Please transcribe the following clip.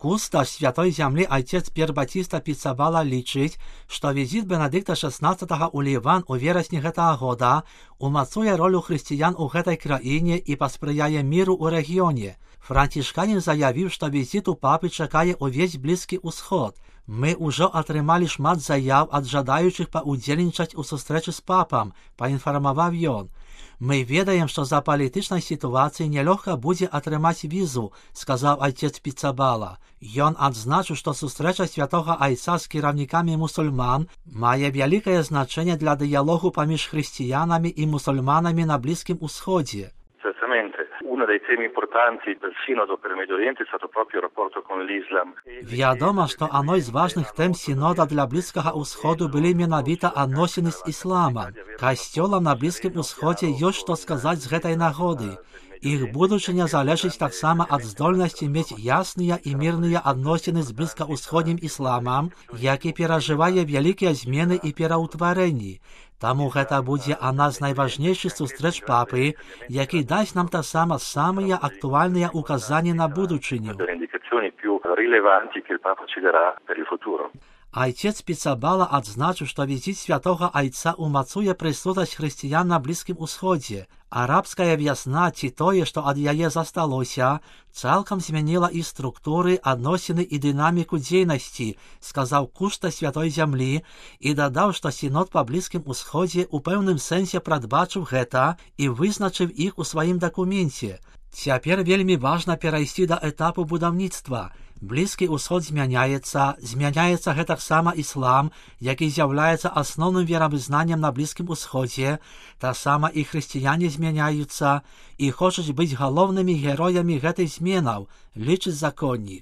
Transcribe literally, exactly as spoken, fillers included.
Кусташ Святой Земли отец П'єр Батіста Піцабала лічить, що візит Бенедикта шістнадцятого у Ліван у вересні гэтага года умацує роль християн у гэтай країні і пасприяє міру у регіоні. Францішканін заявив, що візит у папи чекає увесь Близький Усход. Ми уже атрымалі шмат заяв ад жадаючих паудзельнічаць у сустрэчы з папам, паінфармаваў ён. Мы ведаем, што за палітычнай сітуацыі нялёгка будзе атрымаць візу, сказаў отец Піцабала. Ён адзначыў, што сустрэча святога айца з кіраўнікамі мусульман мае вялікае значэнне для дыялогу паміж хрысціянамі і мусульманамі на Близькім Усходзе. Uno dei temi importanti del Sinodo per il Medio Oriente è stato proprio il rapporto con l'Islam. Вядома, што адной з важных тэм сінода для Блізкага Усходу былі менавіта адносіны з ісламам. Касцёлам на Блізкім Усходзе ёсць што сказаць з гэтай нагоды. Іх будучыня залежыць таксама ад здольнасці мець ясныя і мірныя адносіны з блізкаўсходнім ісламам, які перажывае вялікія змены і пераўтварэнні. Таму гэта будзе адна з найважнейшых сустрэч папы, які дасць нам таксама самыя актуальныя указанні на будучыню. Айцец Піцабала адзначыў, што візіт святога айца умацуе прысутнасць хрысціян на Блізкім Усходзе. Арабская вясна ці тое, што ад яе засталося, цалкам змяніла і структуры, адносіны і дынаміку дзейнасці, сказаў куста Святой Зямлі і дадаў, што сінод па Блізкім Усходзе ў пэўным сэнсе прадбачыў гэта і вызначыў іх у сваім дакуменце. Цяпер вельмі важна перайсці да этапу будаўніцтва. Блізкі ўсход змяняецца, змяняецца гэтаксама іслам, які з'яўляецца асноўным веравызнаннем на Блізкім Усходзе, таксама і хрысціяне змяняюцца і хочуць быць галоўнымі героямі гэтых зменаў, лічыць законнік.